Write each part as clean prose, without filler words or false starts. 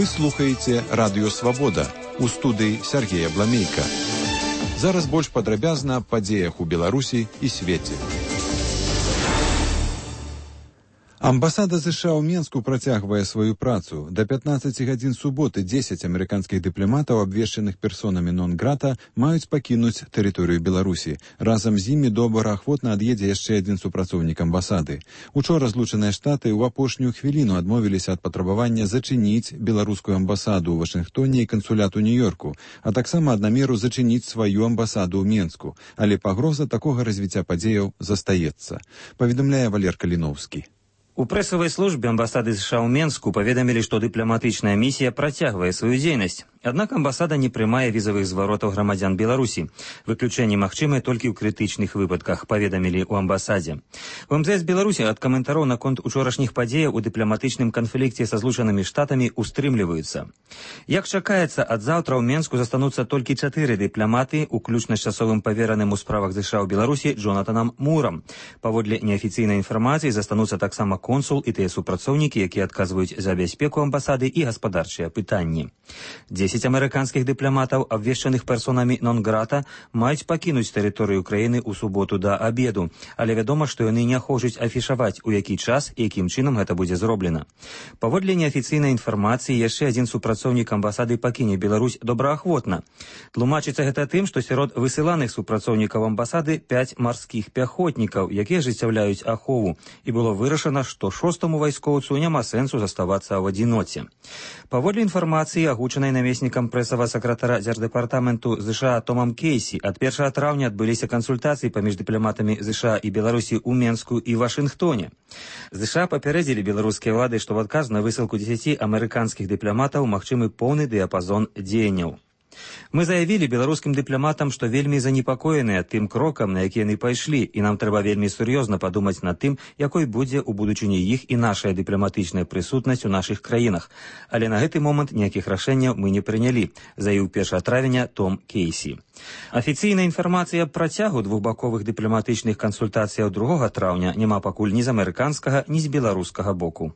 Вы слухаеце Радыё Свабода. У студыі Сергея Бламейка. Зараз больш падрабязна аб падзеях у Беларусі і свеце. Амбасада США ў Менску працягвае сваю працу. До 15 гадзін суботы 10 амерыканскіх дыпламатаў, абвешчаных персонамі нон-грата, маюць пакінуць тэрыторыю Беларусі. Разам з імі добраахвотна ад'едзе яшчэ адзін супрацоўнік амбасады. Учора злучаныя штаты ў апошнюю хвіліну адмовіліся ад патрабавання зачыніць беларускую амбасаду ў Вашынгтоне і кансулят у Нью-Йорку, а таксама ад намеру зачыніць сваю амбасаду ў Менску. Але пагроза такога развіцця падзеяў застаецца, паведамляе Валер Каліноўскі. У прэсавай службе амбасады США ў Менску паведамілі, што дыпламатычная місія працягвае сваю дзейнасць. Аднак амбасада не прымае візавых зваротаў грамадзян Беларусі. Выключэнні магчымыя толькі ў крытычных выпадках, паведамілі ў амбасадзе. У МЗС Беларусі ад каментароў наконт учорашніх падзеяў у дыпламатычным канфлікце са злучанымі штатамі устрымліваюцца. Як чакаецца, ад заўтра ў Менску застануцца толькі 4 дыпламаты, уключна з часовым павераным у справах США ў Беларусі Джонатанам Мурам. Паводле неафіцыйнай інфармацыі застануцца таксама консул і тыя супрацоўнікі, якія адказваюць за бяспеку амбасады і гаспадарчыя пытанні. 10 амерыканскіх дыпламатаў, абвешчаных персонамі нон-грата, маюць пакінуць тэрыторыю краіны ў суботу да абеду, але вядома, што яны не хочуць афішаваць, у які час і якім чынам гэта будзе зроблена. Паводле неафіцыйнай інфармацыі, яшчэ адзін супрацоўнік амбасады пакіне Беларусь добраахвотна. Тлумачыцца гэта тым, што сярод высыланых супрацоўнікаў амбасады 5 марскіх пяхотнікаў, якія ажыццяўляюць ахову, і было вырашана, што 6-му вайскоўцу няма сэнсу заставацца ў адзіноце. Паводле інфармацыі, агучанай намеснікам прэсавага сакратара дзярждэпартаменту США Томам Кейсі, ад 1 траўня адбыліся кансультацыі паміж дыпламатамі США і Беларусі ў Менску і Вашынгтоне. США папярэдзілі беларускія ўлады, што ў адказ на высылку 10 амерыканскіх дыпламатаў магчымы поўны дыяпазон дзеянняў. Мы заявілі беларускім дыпламатам, што вельмі занепакоеныя тым крокам, на які яны пайшлі, і нам трэба вельмі сур'ёзна падумаць над тым, якой будзе ў будучыні іх і нашая дыпламатычная прысутнасць у нашых краінах. Але на гэты момант ніякіх рашэнняў мы не прынялі, заявіў 1 травеня Том Кейсі. Афіцыйная інфармацыя аб працягу двухбаковых дыпламатычных кансультацыяў 2 траўня няма пакуль ні з амерыканскага, ні з беларускага боку.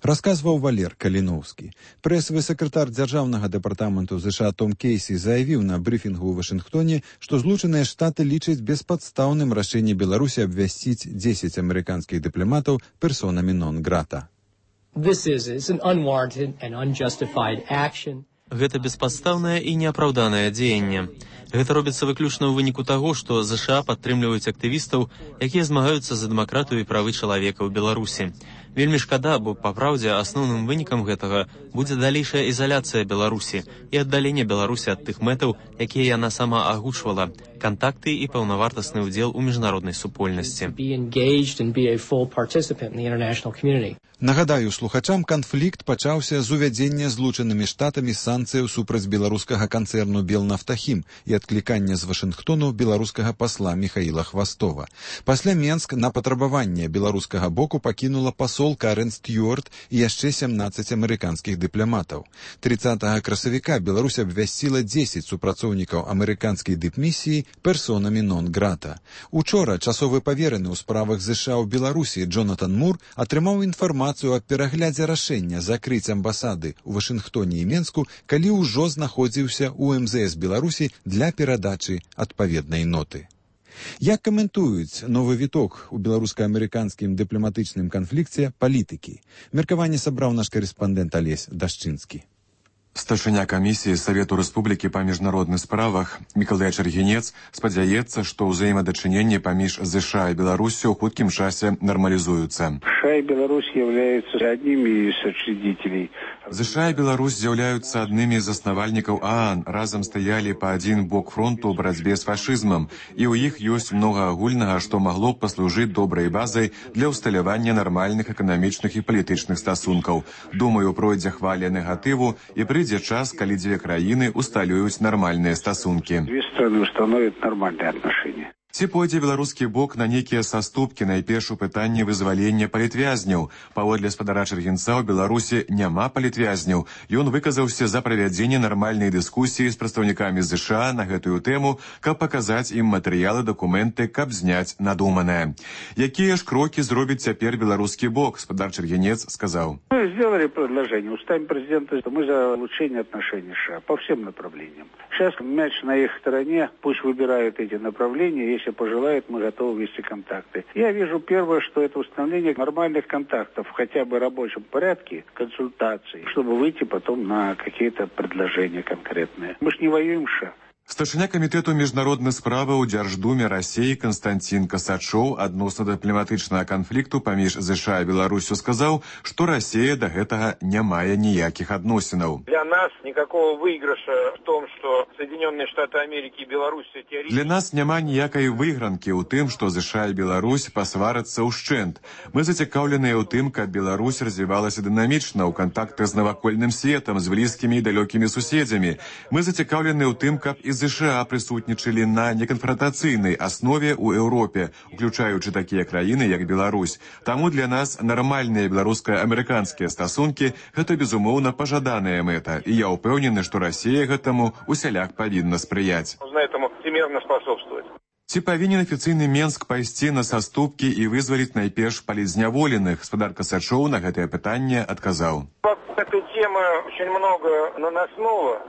Расказваў Валер Каліноўскі. Прэсавы сакратар дзяржаўнага дэпартаменту США Том Кейсі заявіў на брыфінгу ў Вашынгтоне, што злучаныя штаты лічаць беспадстаўным рашэнне Беларусі абвясціць 10 амерыканскіх дыпламатаў персонамі нон-грата. Гэта беспадстаўнае і неапраўданае дзеянне. Гэта робіцца выключна ў выніку таго, што США падтрымліваюць актывістаў, якія змагаюцца за дэмакратыю і правы чалавека ў Беларусі. Вельмі шкада, бо, па праўдзе, асноўным вынікам гэтага будзе далейшая ізаляцыя Беларусі і аддаленне Беларусі ад тых мэтаў, якія яна сама агучвала, кантакты і паўнавартасны ўдзел у міжнароднай супольнасці. Нагадаю слухачам, канфлікт пачаўся з увядзення злучанымі штатамі санкцыяў супраць беларускага канцэрну «Белнафтахім» і адклікання з Вашынгтону беларускага пасла Міхаіла Хвастова. Пасля Менск на патрабаванне беларускага боку пакінула пасол Карен Стюарт і яшчэ 17 амерыканскіх дыпламатаў. 30 красавіка Беларусь абвясціла 10 супрацоўнікаў амерыканскай дыпмісіі персонамі нон-грата. Учора часовы павераны ў справах США ў Беларусі Джонатан Мур атрымаў інфармацыю аб пераглядзе рашэння закрыць амбасады ў Вашынгтоне і Менску, калі ўжо знаходзіўся ў МЗС Беларусі для перадачы адпаведнай ноты. Як каментуюць новы віток у беларуска-амерыканскім дыпламатычным канфлікце палітыкі? Меркаванне сабраў наш карэспандэнт Алесь Дашчынскі. Старшыня камісіі Савету Рэспублікі па міжнародных справах Мікалай Чаргінец спадзяецца, што ўзаемадачыненні паміж США і Беларусю ў хуткім часе нармалізуюцца. США и Беларусь являются одними из учредителей. США і Беларусь з'яўляюцца аднымі з заснавальнікаў ААН, разам стаялі па адзін бок фронту ў барацьбе з фашызмам, і ў іх ёсць многа агульнага, што магло б паслужыць добрай базай для ўсталявання нармальных эканамічных і палітычных стасункаў. Думаю, пройдзе хваля негатыву і прыйдзе час, калі дзве краіны усталююць нармальныя стасункі. Две страны установят нормальные отношения. Ці пойдзе беларускі бок на нейкія саступкі найперш у пытанні вызвалення палітвязняў. Паводле спадара Чэргінца ў Беларусі няма палітвязняў. Ён выказаўся за правядзенне нармальнай дыскусіі з прадстаўнікамі ЗША на гэтую тэму, каб паказаць ім матэрыялы, дакументы, каб зняць надуманае. Якія ж крокі зробіць цяпер беларускі бок, спадар Чэргінец сказаў. Мы сделали предложение устами президента, что мы за улучшение отношений США по всем направлениям. Сейчас мяч на их стороне, пусть выбирают эти направления, если пожелают, мы готовы вести контакты. Я вижу первое, что это установление нормальных контактов, хотя бы в рабочем порядке, консультаций, чтобы выйти потом на какие-то предложения конкретные. Мы ж не воюем с США. Старшыня камітэту міжнародных справаў у Дзярждуме Расіі Канстантин Касачоў адносна дыпламатычнага канфлікту паміж ЗША і Беларусю сказаў, што Расія да гэтага не мае ніякіх адносінаў. Для нас никакого выигрыша в том, что Соединенные Штаты Америки и Беларусь теоретически... Для нас няма ніякай выйгранкі ў тым, што ЗША і Беларусь пасварацца ўшчэнт. Мы зацікаўленыя ў тым, каб Беларусь развівалася дынамічна ў кантактах з навакольным светам, з блізкімі і далёкімі суседзямі. Мы зацікаўленыя ў тым, каб і ЗША прысутнічалі на неканфронтацыйнай аснове ў Еўропе, уключаючы такія краіны, як Беларусь. Таму для нас нармальныя беларуска-амерыканскія стасункі – гэта, безумоўна, пажаданая мэта. І я ўпэўнены, што Расія гэтаму усяляк павінна спрыяць. Нужно этому всемерно способствовать. Ці павінен афіцыйны Менск пайсці на саступкі і вызваліць найперш палітзняволеных? Спадар Касачоў на гэтае пытанне адказаў. Этой темы очень много наносного.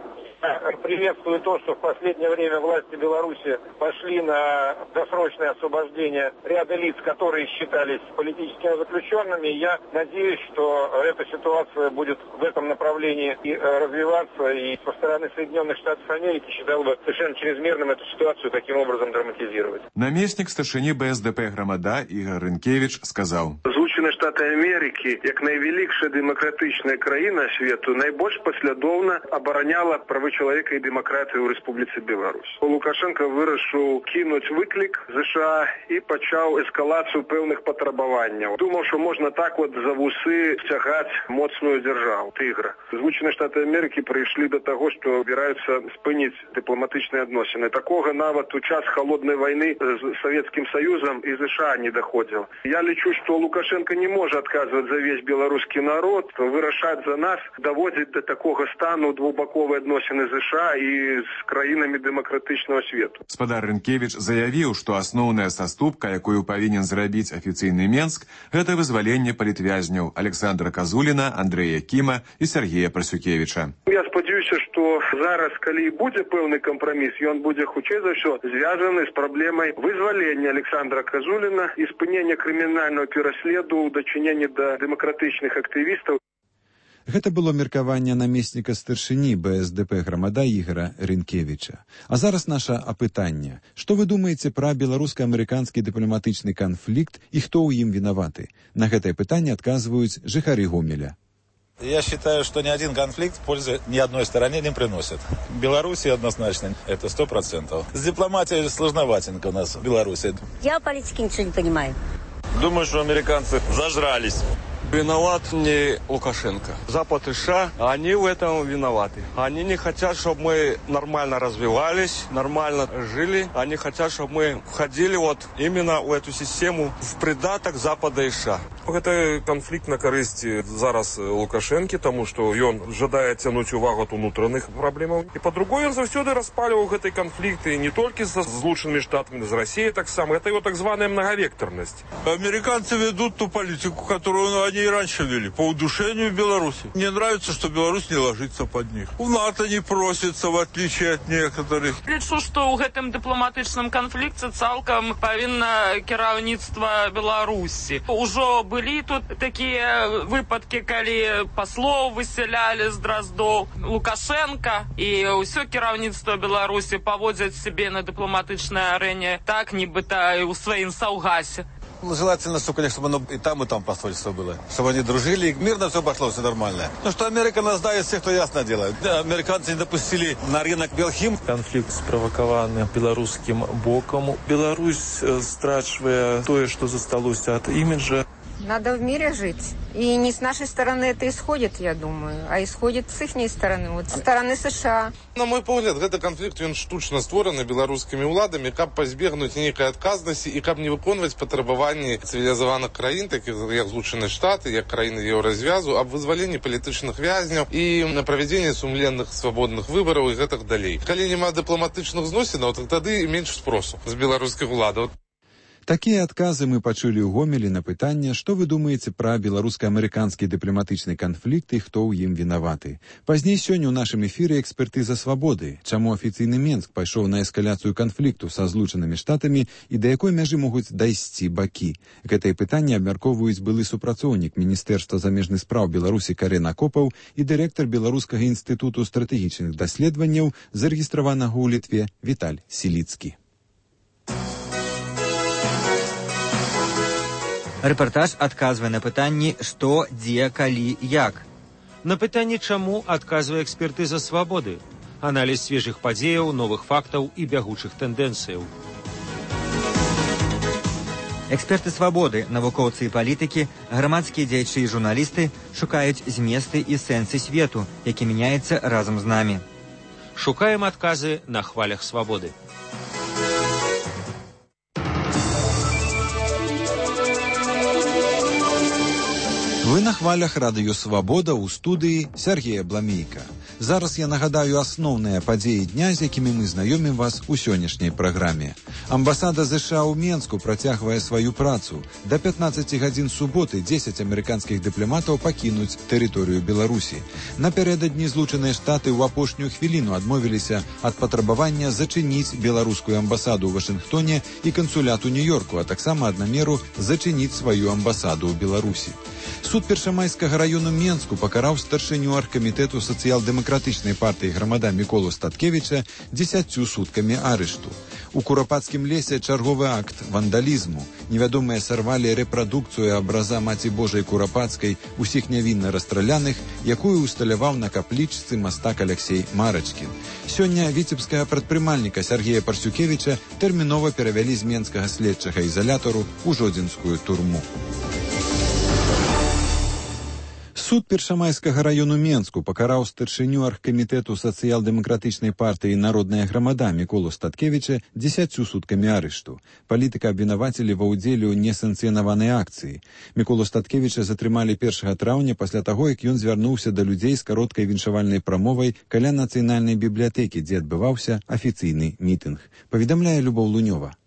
Приветствую то, что в последнее время власти Беларуси пошли на досрочное освобождение ряда лиц, которые считались политическими заключенными. Я надеюсь, что эта ситуация будет в этом направлении и развиваться. И со стороны Соединенных Штатов Америки считал бы совершенно чрезмерным эту ситуацию таким образом драматизировать. Намеснік старшыні БСП Грамада Ігор Рынкевич сказаў. Злучені Штати Америки, як найвеликша демократична країна світу, найбільш послідовно обороняла прави чоловіка і демократію у Республіці Білорусь. Лукашенко вирішив кинути виклик США і почав ескалацію певних потребувань. Думав, що можна так от за вуси стягати моцну державу, тигра. Злучені Штати Америки прийшли до того, що збираються спинити дипломатичні відносини. Такого навіть у час холодної війни з Совєтським Союзом і США не доходило. Я лічу, що Лукашенко не може відказувати за весь білоруський народ, вирішати за нас, доводить до такого стану двобокові відносини з США і з країнами демократичного світу. Спадар Рынкевич заявіў, што асноўная саступка, якую павінен зрабіць афіцыйны Менск, гэта вызваленне палітвязняў Александра Казуліна, Андрэя Кіма і Сергея Прасюкевіча. Я спадзяюся, што зараз, калі будзе пэўны кампраміс, ён будзе хутчэй за ўсё звязаны з праблемай вызвалення Александра Казуліна і спынення крымінальнага пераследу ў дачыненні да дэмакратычных актывістаў. Гэта было меркаванне намесніка старшыні БСП Грамада Ігора Рынкевіча. А зараз наша апытанне. Што вы думаеце пра беларуска-амерыканскі дыпламатычны канфлікт і хто ў ім вінаваты? На гэтае пытанне адказваюць жыхары Гомеля. Я считаю, что ни один конфликт пользы ни одной стороне не приносит. Беларуси однозначно, это 100%. С дипломатией сложноватенько у нас в Беларуси. Я в политике ничего не понимаю. Думаю, что американцы зажрались. Виноват не Лукашенко. Запад и США, они в этом виноваты. Они не хотят, чтобы мы нормально развивались, нормально жили. Они хотят, чтобы мы входили вот именно в эту систему в придаток Запада и США. Гэта канфлікт на карысці зараз Лукашэнкі, таму што ён жадае цянуць увагу ад унутраных праблемаў. І па-другое, ён заўсёды распаліваў гэтай канфлікты не толькі з Злучанымі Штатамі, з Расіяй таксама. Это его так званая многовекторность. Американцы ведут ту политику, которую они и раньше вели, по удушению Беларуси. Мне нравится, что Беларусь не ложится под них. В НАТО не просится, в отличие от некоторых. Лічу, што ў гэтым дыпламатычным канфлікце цалкам павінна кіраўніцтва Беларусі. Ужо былі тут такія выпадкі, калі паслоў высялялі з Дроздоў. Лукашенко і ўсё кіраўніцтва Беларусі паводзяць сябе на дыпламатычнай арэне так, нібыта ў сваім саўгасе. Ну, желательно, конечно, чтобы оно и там посольство было. Чтобы они дружили, и мирно все пошло, все нормально. Ну, что Америка нас дает всех, кто ясно делает. Да, американцы не допустили на рынок Белхим. Конфликт спровокован белорусским боком. Беларусь страчвае тое, что засталося от имиджа. Надо в мире жить. И не с нашей стороны это исходит, я думаю, а исходит с ихней стороны, вот с стороны США. На мой погляд, гэты канфлікт ён штучна створаны беларускімі ўладамі, каб пазбегнуць нейкай адказнасці і каб не выконваць патрабаванні цывілізаваных краін, такіх як Злучаныя Штаты, як краіны еўразвязу, аб вызваленні палітычных вязняў і на правядзенні сумленных свабодных выбараў і гэтак далей. Калі няма дыпламатычных зносінаў, то тады менш спросу з беларускіх уладаў. Такія адказы мы пачулі ў Гомелі на пытанне, што вы думаеце пра беларуска-амерыканскі дыпламатычны канфлікт і хто ў ім вінаваты. Пазней сёння ў нашым эфіры экспертыза свабоды, чаму афіцыйны Менск пайшоў на эскаляцыю канфлікту са Злучанымі Штатамі і да якой мяжы могуць дайсці бакі. Гэтае пытанне абмяркоўваюць былы супрацоўнік Міністэрства замежных спраў Беларусі Карен Акопаў і дырэктар Беларускага інстытуту стратэгічных даследаванняў, зарэгістраванага ў Літве, Віталь Сіліцкі. Рэпартаж адказвае на пытанні «Што, дзе, калі, як?». На пытанне «Чаму?» адказвае экспертыза свабоды. Аналіз свежых падзеяў, новых фактаў і бягучых тэндэнцыяў. Эксперты свабоды, навукоўцы і палітыкі, грамадскія дзеячы і журналісты шукаюць зместы і сэнсы свету, які мяняецца разам з намі. Шукаем адказы на хвалях свабоды. Вы на хвалях радыё «Свабода» ў студыі Сергея Бламейка. Зараз я нагадаю асноўныя падзеі дня, з якімі мы знаёмім вас у сённяшняй праграме. Амбасада США ў Менску працягвае сваю працу. Да 15 гадзін суботы 10 амерыканскіх дыпламатаў пакінуць тэрыторыю Беларусі. Напярэдадні Злучаныя Штаты ў апошнюю хвіліну адмовіліся ад патрабавання зачыніць беларускую амбасаду ў Вашынгтоне і кансулят у Нью-Йорку, а таксама ад намеру зачыніць сваю амбасаду ў Беларусі. Суд Першамайскага раёну Менску пакараў старшыню аргкамітэту сацыял-дэмакратычнай партыі грамада Міколу Статкевіча 10 суткамі арышту. У Курапацкім лесе чарговы акт вандалізму. Невядомыя сарвалі рэпрадукцыю абраза Маці Божай Курапацкай, усіх нявінна расстраляных, якую усталяваў на каплічцы мастак Аляксей Марачкін. Сёння віцебскага прадпрымальніка Сергея Парсюкевіча тэрмінова перавялі з менскага следчага ізалятару ў жодзінскую турму. Суд Першамайскага раёну Менску пакараў старшыню аргкамітэту сацыял-дэмакратычнай партыі «Народная грамада» Міколу Статкевіча 10 суткамі арышту. Палітыка абвінавацілі ва ўдзеле ў несанкцыянаванай акцыі. Міколу Статкевіча затрымалі 1 траўня пасля таго, як ён звярнуўся да людзей з кароткай віншавальнай прамовай каля нацыянальнай бібліятэкі, дзе адбываўся афіцыйны мітынг. Паведамляе Любоў Лунёва.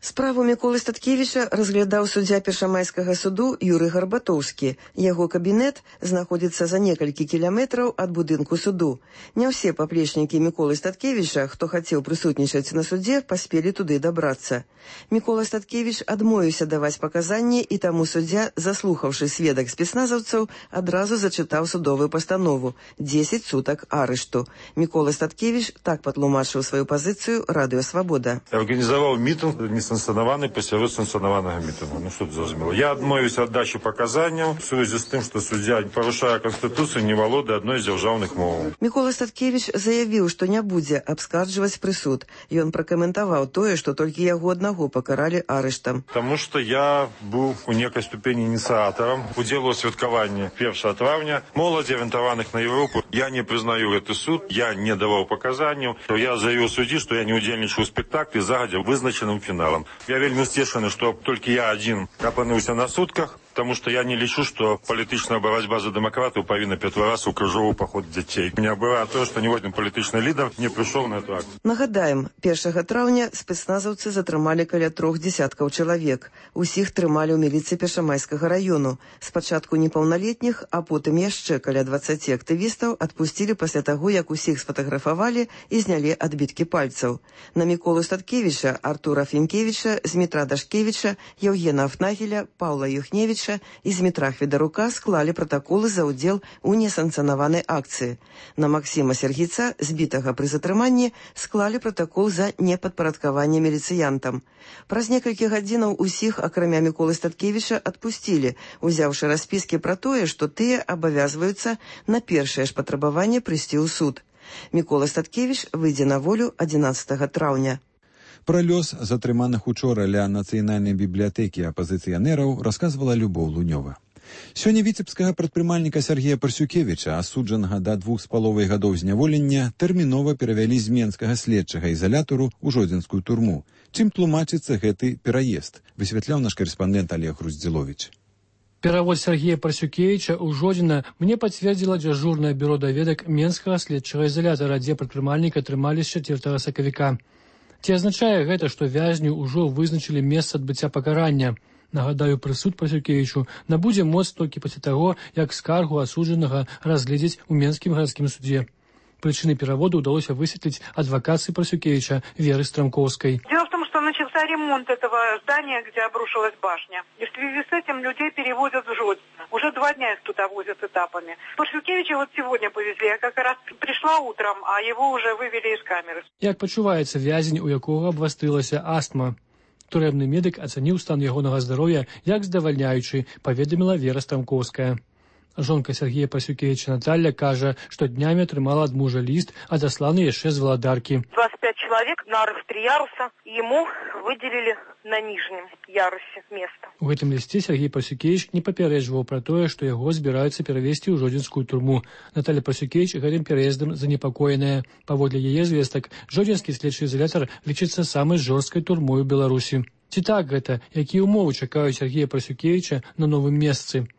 Справу Міколы Статкевіча разглядаў суддзя Першамайскага суду Юрый Гарбатоўскі. Яго кабінет знаходзіцца за некалькі кіляметраў ад будынку суду. Не ўсе паплечнікі Міколы Статкевіча, хто хацеў прысутнічаць на судзе, паспелі туды дабрацца. Мікола Статкевіч адмовіўся даваць паказанні, і таму суддзя, заслухаўшы сведак спецназаўцаў, адразу зачытаў судовую пастанову – 10 сутак арышту. Мікола Статкевіч так патлумачыў сваю пазіцыю радыё «Свабода». Арганізаваў мітынг несанкцыянаваны пасярод санкцыянаванага мітынгу. Ну што тут зразумела? Я адмовіўся ад дачы паказанняў у сувязі з тым, што суддзя парушае Канстытуцыю, не валодае адной з дзяржаўных моваў. Мікола Статкевіч заявіў, што не будзе абскарджваць прысуд. Ён пракаментаваў тое, што толькі яго аднаго пакаралі арыштам. Таму што я быў у некай ступені ініцыятарам удзелу ў святкаванні 1 траўня моладзі, арыентаваных на Еўропу. Я не прызнаю гэты суд, я не даваў паказанняў. Я заявіў суддзі, што я не ўдзельнічаю ў спектаклі загадзя вызначаным фіналам. Я вельмі сцешаны, што толькі я адзін апынуўся на сутках, потому что я не лічу, что палітычная барацьба за дэмакратыю павінна ператварацца ў крыжовы паход дзяцей. Меня бывае тое, што ніводзін палітычны лідар не прыйшоў на эту акцыю. Нагадаем, 1 траўня спецназаўцы затрымалі каля 3 десяткаў чалавек. Усіх трымалі ў міліцыі Першамайскага раёну. Спачатку непаўналетніх, а потым яшчэ каля 20 актывістаў адпусцілі пасля таго, як усіх сфатаграфавалі і знялі адбіткі пальцаў. На Міколу Статкевіча, Артура Фінкевіча, Змітра Дашкевіча, Еўгена Афнагеля, Паўла Юхневіча і Змітра Хведарука склалі пратаколы за ўдзел у несанкцыянаванай акцыі. На Максіма Сергійца, збітага пры затрыманні, склалі пратакол за непадпарадкаванне міліцыянтам. Праз некалькі гадзінаў усіх, акрамя Міколы Статкевіча, адпусцілі, узяўшы распіскі пра тое, што тыя абавязваюцца на першае ж патрабаванне прыйсці ў суд. Мікола Статкевіч выйдзе на волю 11 траўня. Пра лёс затрыманых учора ля нацыянальнай бібліятэкі апазіцыянераў расказвала Любоў Лунёва. Сёння віцебскага прадпрымальніка Сергея Парсюкевіча, асуджанага да 2,5 гадоў зняволення, тэрмінова перавялі з менскага следчага ізалятару ў жодзінскую турму. Чым тлумачыцца гэты пераезд, высвятляў наш карэспандэнт Олег Груздзіловіч. Перавод Сергея Парсюкевича ў Жодзіна мне пацвердзіла дзяжурнае бюро даведак менскага следчага ізалятара, дзе прадпрымальніка трымалі з 4 сакавіка. Ці азначае гэта, што вязню ўжо вызначылі месца адбыцця пакарання? Нагадаю, прысуд Парсюкевічу набудзе моц толькі пасля таго, як скаргу асуджанага разгледзяць у Менскім гарадскім суде. Причины перевода удалось высветлить адвокации Парсюкевича Веры Стромкowskiej. Дело в том, что начался ремонт этого здания, где обрушилась башня. И в связи с этим людей переводят в Жодино. Уже 2 дня их туда возят этапами. Парсюкевича вот сегодня повезли. Я как раз пришла утром, а его уже вывели из камеры. Як пачуваецца вязень, у якого абвастрылася астма? Турэбны медык ацаніў стан ягонага здароўя як здавальняючы, паведаміла Вера Стромкowska. Жонка Сергея Парсюкевича Наталья кажа, што днямі атрымала ад мужа ліст, адасланы яшчэ з Валадаркі. 25 человек, нарых 3 яруса, ему выделили на нижнем ярусе место. У гэтым лісце Сергей Парсюкевич не папярэджваў пра тое, што яго збіраюцца перавесці ў Жодзінскую турму. Наталья Парсюкевич гэтым пераездам занепакоеная. Паводле яе звестак, Жодзінскі следчы ізалятар лічыцца самай жорсткай турмой у Беларусі. Ці так гэта? Якія ўмовы чакаюць Сергея Парсюкевича на новым месцы?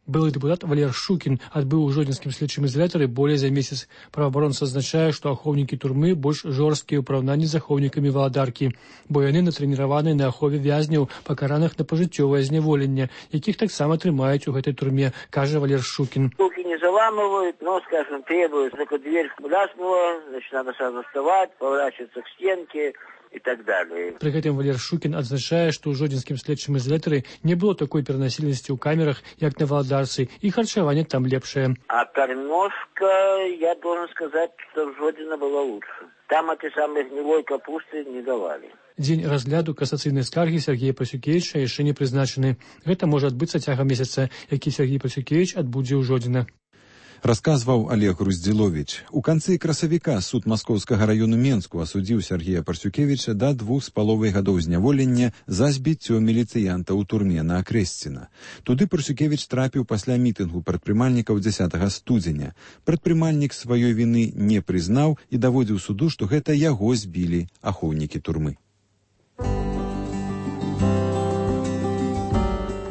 Былы депутат Валер Шукін адбыў у Жодзінскім следчым ізалятары болей за месяц. Праваабаронца адзначае, што ахоўнікі турмы больш жорсткія ў параўнанні з ахоўнікамі Валадаркі, бо яны натрэніраваны на ахове вязняў, пакараных на пажыццёвае зняволенне, якіх таксама трымаюць у гэтай турме, кажа Валер Шукін. Руки не заламывают, но, скажем, требуют, только дверь ляснула, значит, надо сразу вставать, поворачиваться к стенке и так далее. При гэтым Валер Шукін адзначае, што ў Жодзінскім следчым ізалятары не было такой перанасільнасці ў камерах, як на Валадарцы, і харчаванне там лепшае. А кормежка, я должен сказать, что в Жодзіно было лучше. Там этой самой гнилой капусты не давали. Дзень разгляду касацыйнай скаргі Сергея Парсюкевича яшчэ не прызначаны. Гэта можа адбыцца цягам месяца, які Сергей Парсюкевич адбудзе ў Жодзіна. Расказваў Олег Груздзіловіч. У канцы красавіка суд Маскоўскага раёну Менску асудзіў Сергея Парсюкевича да 2,5 гадоў зняволення за збіццё міліцыянта ў турме на Акрэсціна. Туды Парсюкевич трапіў пасля мітынгу прадпрымальнікаў 10 студзеня. Прадпрымальнік сваёй віны не прызнаў і даводзіў суду, што гэта яго збілі ахоўнікі турмы.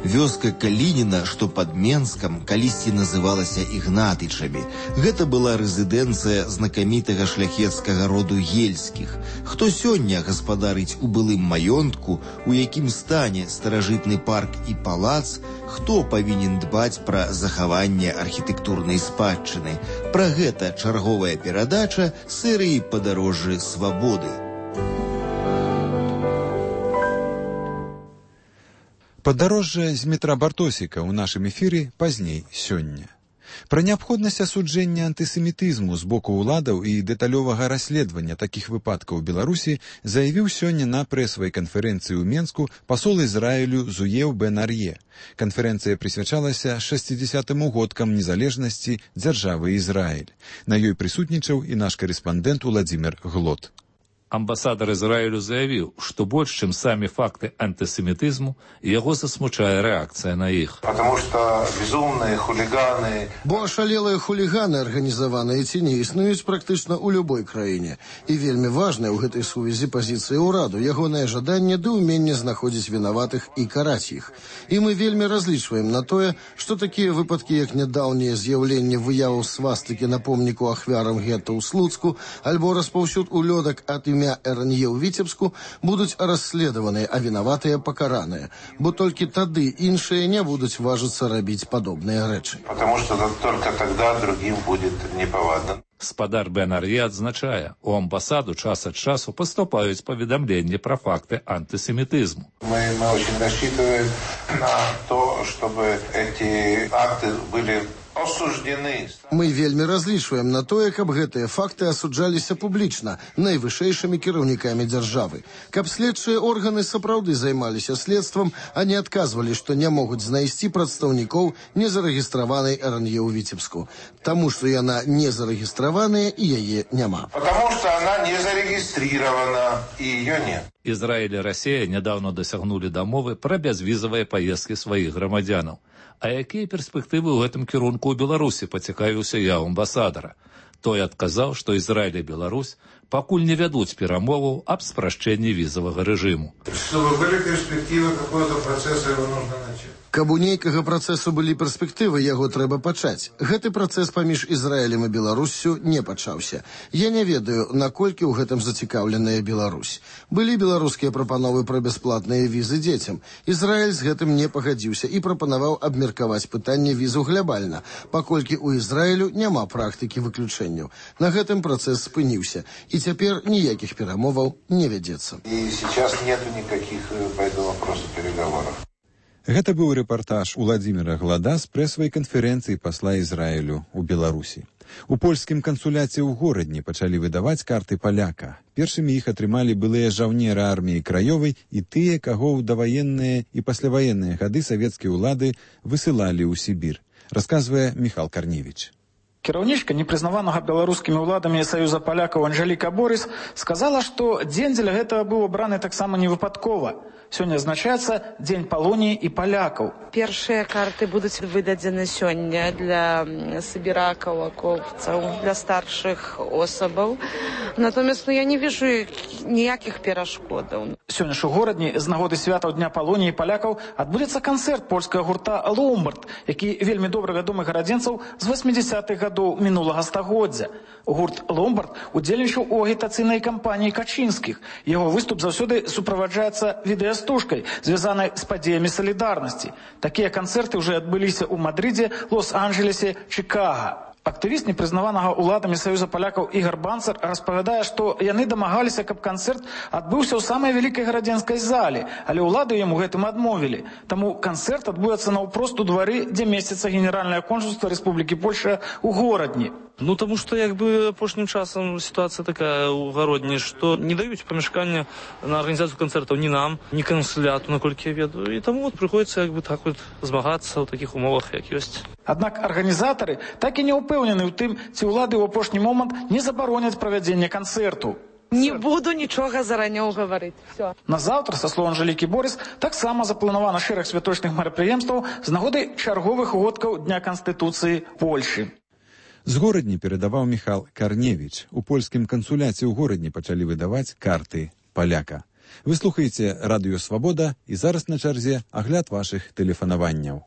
Вёска Калініна, што пад Менскам, калісьці называлася Ігнатычамі. Гэта была рэзідэнцыя знакамітага шляхецкага роду Ельскіх. Хто сёння гаспадарыць у былым маёнтку, у якім стане старажытны парк і палац, хто павінен дбаць пра захаванне архітэктурнай спадчыны. Пра гэта чарговая перадача серыі «Падарожжы свабоды». Падарожжа з метра Бартосіка ў нашым эфіры пазней сёння. Пра неабходнасць асуджэння антысемітызму з боку ўладаў і дэталёвага расследавання такіх выпадкаў у Беларусі заявіў сёння на прэсавай канферэнцыі ў Менску пасол Ізраілю Зуеў Бен-Ар'е. Канферэнцыя прысвячалася 60-м годкам незалежнасці дзяржавы Ізраіль. На ёй прысутнічаў і наш карэспандэнт Уладзімір Глот. Амбасадар Израилю заявил, что больше, чем сами факты антисемитизму, его засмучает реакция на их. Потому что безумные хулиганы... Бо ошалелые хулиганы, организованные ці не існуюць практычна ў любой краіне. І вельмі важная ў гэтай сувязі пазіцыя ўраду, ягонае жаданне ды ўменне знаходзіць вінаватых і караць іх. І мы вельмі разлічваем на тое, што такія выпадкі, як нядаўнее з'яўленне выяваў свастыкі на помніку ахвярам гета ў Слуцку, альбо распаўсюд улёдак ад імя РНЕ ў Віцебску, будуць расследаваныя, а вінаватыя пакараныя. Бо толькі тады іншыя не будуць важыцца рабіць падобныя рэчы. Потому что только тогда другим будет неповадно. Спадар Бен-Ар'е адзначае, у амбасаду час ад часу поступаюць паведамленні пра факты антисемитизму. Мы очень рассчитываем на то, чтобы эти акты были осуждены. Мы вельмі разлічваем на тое, каб гэтыя факты асуджаліся публічна найвышэйшымі кіраўнікамі дзяржавы. Каб следчыя органы сапраўды займаліся следствам, а не адказвалі, што не могуць знайсці прадстаўнікоў незарэгістраванай РНЕ ў Віцебску. Таму, што яна не зарэгістраваная і яе няма. Потому что она не зарегистрирована, и ее нет. Израиль и Россия недавно досягнули дамовы про бязвізавыя поездки своих громадянаў. А якія перспектывы ў гэтым кірунку ў Беларусі, пацікавіўся я ў амбасадара. Той адказаў, што Израиль и Беларусь пакуль не вядуць перамоваў аб спрашчэнні візавага рэжыму. Чтобы были перспективы какого-то процесса, его нужно начать. Каб у нейкага працэсу былі перспектывы, яго трэба пачаць. Гэты працэс паміж Ізраілем і Беларуссю не пачаўся. Я не ведаю, наколькі ў гэтым зацікаўленая Беларусь. Былі беларускія прапановы пра бясплатныя візы дзецям. Ізраіль з гэтым не пагадзіўся і прапанаваў абмеркаваць пытанне візу глябальна, паколькі ў Ізраілю няма практыкі выключэнняў. На гэтым працэс спыніўся, і цяпер ніякіх перамоваў не вядзецца. І сейчас нету никаких по этому вопросу переговоров. Гэта быў рэпартаж Уладзіміра Глада з прэсавай канферэнцыі пасла Ізраілю ў Беларусі. У польскім кансуляце ў горадні пачалі выдаваць карты паляка. Першымі іх атрымалі былыя жаўнеры арміі краёвай і тыя, каго ў даваенныя і пасляваенныя гады савецкія ўлады высылалі ў Сібір. Расказвае Міхал Карневіч. Кіраўнічка непрызнаванага беларускімі ўладамі Саюза палякаў Анжеліка Борыс сказала, што дзень для гэтага быў абраны таксама невыпадкова. Сёння азначаецца Дзень Палоніі і палякаў. Першыя карты будуць выдадзены сёння для сыбіракаў, акопцаў, для старшых особаў. Натомест я не вижу ніякіх перашкодаў. Сёння ж у горадні з нагоды святаў Дня Палоніі і палякаў адбудзецца канцэрт польскага гурта «Ломбард», які вельмі добра вядомы гарадзенцаў з 80-х гадоў мінулага стагоддзя. Гурт «Ломбард» удзельнічаў у агітацыйнай кампаніі Качынскіх. Яго выступ заўсёды суправаджаецца відэастужкай, звязанай з падзеямі салідарнасці. Такія канцэрты ўжо адбыліся ў Мадрыдзе, Лос-Анджелесе, Чикаго. Актывіст непрызнаванага ўладамі Саюза палякаў Ігар Банцар распавядае, што яны дамагаліся, каб канцэрт адбыўся ў самай вялікай гарадзенскай зале, але ўлады яму гэтым адмовілі. Таму канцэрт адбудзецца наўпрост у двары, дзе месціцца генеральнае консульства Рэспублікі Польша ў горадні. Ну, тому что, апошнім часам ситуация такая у Городні, что не дают помешкания на организацию концертов ни нам, ни консуляту, наколькі я ведаю. И тому приходится так змагаться в таких умовах, як есть. Аднак арганізатары так і не ўпэўнены ў тым, ці ўлады ў апошні момант не забароняць правядзенне канцэрту. Не буду нічога зараней гаварыць. Все. На заўтра, са слоў Анжелікі Борыс, таксама запланавана шэраг святочных мерапрыемстваў з нагоды чарговых годкаў Дня Канстытуцыі Польшы. З горадні перадаваў Міхал Карневіч. У польскім кансуляце ў горадні пачалі выдаваць карты паляка. Вы слухаеце Радыё Свабода, і зараз на чарзе агляд вашых тэлефанаванняў.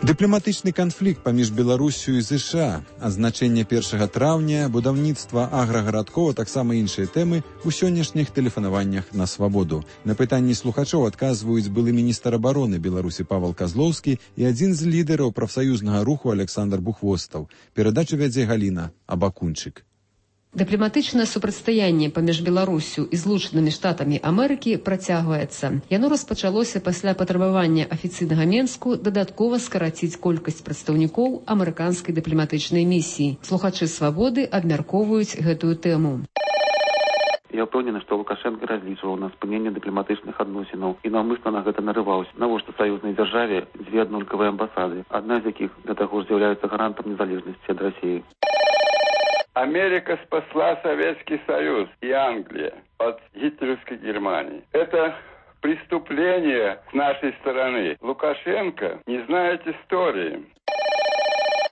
Дыпламатычны канфлікт паміж Беларуссю і ЗША, адзначэнне 1 траўня, будаўніцтва аграгарадкоў, а таксама іншыя тэмы ў сённяшніх тэлефанаваннях на Свабоду. На пытанні слухачоў адказваюць былы міністр абароны Беларусі Павел Казлоўскі і адзін з лідараў прафсаюзнага руху Александр Бухвостаў. Перадачу вядзе Галіна Абакунчык. Дыпламатычнае супрацьстаянне паміж Беларуссю і Злучанымі Штатамі Амерыкі працягваецца. Яно распачалося пасля патрабавання афіцыйнага Менску дадаткова скараціць колькасць прадстаўнікоў амерыканскай дыпламатычнай місіі. Слухачы Свабоды абмяркоўваюць гэтую тэму. Я ўпэўнены, што Лукашенко разлічваў на спыненне дыпламатычных адносінаў і наўмысна на гэта нарываўся. Навошта саюзнай дзяржаве дзве аднолькавыя амбасады, адна з якіх да таго ж з'яўляецца гарантам незалежнасці ад Расіі. Америка спасла Советский Союз и Англия от гитлеровской Германии. Это преступление с нашей стороны. Лукашенко не знает истории.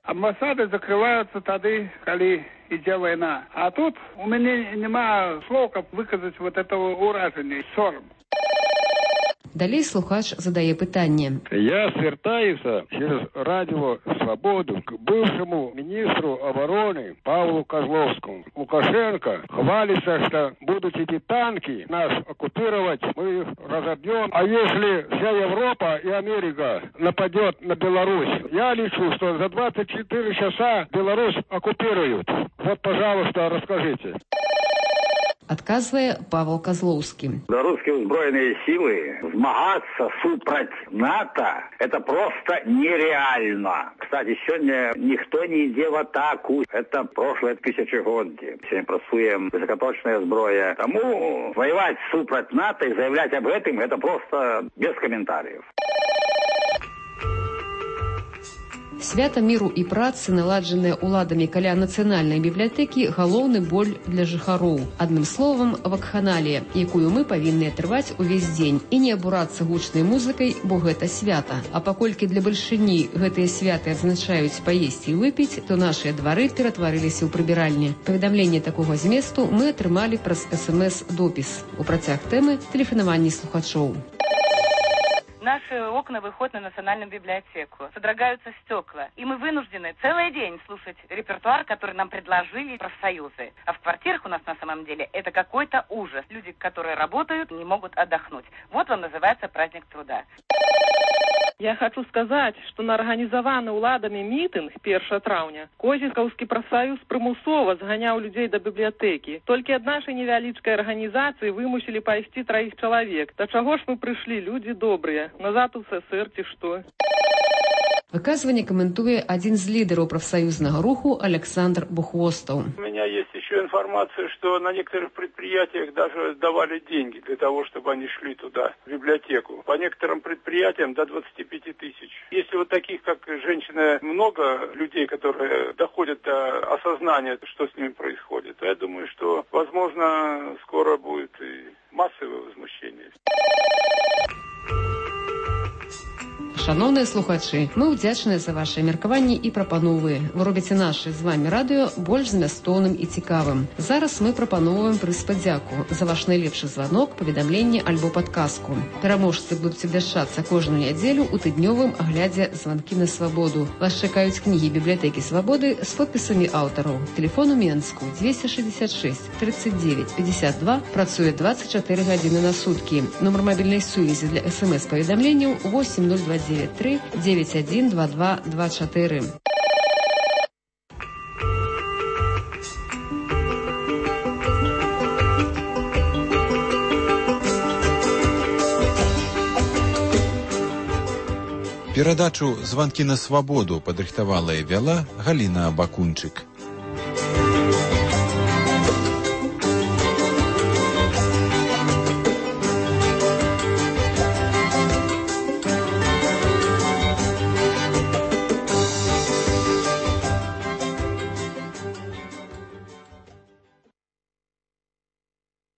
Амбасады закрываются тады, коли идет война. А тут у меня нема слов, как выказать вот этого уражения, сором. Далей слухач задае пытанне. Я звертаюся через радио «Свободу» к бывшему министру обороны Павлу Козловскому. Лукашенко хвалится, что будут эти танки нас оккупировать, мы их разобьем. А если вся Европа и Америка нападет на Беларусь, я лечу, что за 24 часа Беларусь оккупируют. Вот, пожалуйста, расскажите. Адказвае Павел Козловский. Белорусские узброенные силы змагаться супроть НАТО – это просто нереально. Кстати, сегодня никто не идет в атаку. Это прошлое тысячегодие. Сегодня працуем высокоточная зброя. Тому воевать супроть НАТО и заявлять об этом – это просто без комментариев. Свята міру і працы, наладжаныя ўладамі каля нацыянальнай бібліятэкі, галоўны боль для жыхароў. Адным словам, вакханалія, якую мы павінны трываць увесь дзень і не абурацца гучнай музыкай, бо гэта свята. А паколькі для бальшыні гэтыя святы адзначаюць паесці і выпіць, то нашыя двары ператварыліся ў прыбіральні. Паведамленне такога зместу мы атрымалі праз СМС-допіс. У працяг тэмы тэлефанаванні слухачоў. Наши окна выходят на национальную библиотеку. Содрогаются стекла. И мы вынуждены целый день слушать репертуар, который нам предложили профсоюзы. А в квартирах у нас на самом деле это какой-то ужас. Люди, которые работают, не могут отдохнуть. Вот вам называется праздник труда. Я хочу сказать, что на организованный уладами митинг 1 траўня Козельскаўскі профсоюз прымусова зганяў людей до библиотеки. Только от нашей невялічкай организации вымусили пайсці 3 человек. До чего ж мы пришли, люди добрые? Назад у СССР ці што? Выказванне каментуе один из лидеров профсоюзного руху Александр Бухвостов. У меня есть еще информация, что на некоторых предприятиях даже давали деньги для того, чтобы они шли туда, в библиотеку. По некоторым предприятиям до 25 тысяч. Если вот таких, как женщина, много людей, которые доходят до осознания, что с ними происходит, то я думаю, что, возможно, скоро будет и массовое возмущение. Шановныя слухачы, мы ўдзячныя за вашыя меркаванні і прапановы. Вы робіце наше з вами радыё больш змястоўным і цікавым. Зараз мы прапановваем прыз падзяку за ваш найлепшы званок, паведамленне альбо падказку. Пераможцы будуць абвяшчацца кожную нядзелю ў тыднёвым аглядзе «Званкі на свабоду». Вас чакаюць кнігі бібліятэкі свабоды з подпісамі аўтараў. Телефон у Менску 266 39 52, працуе 24 гадзіны на суткі. Нумар мабільнай сувязі для СМС-паведамленняў 8029 912224. Перадачу «Званкі на свабоду» падрыхтавала і вяла Галіна Бакунчык.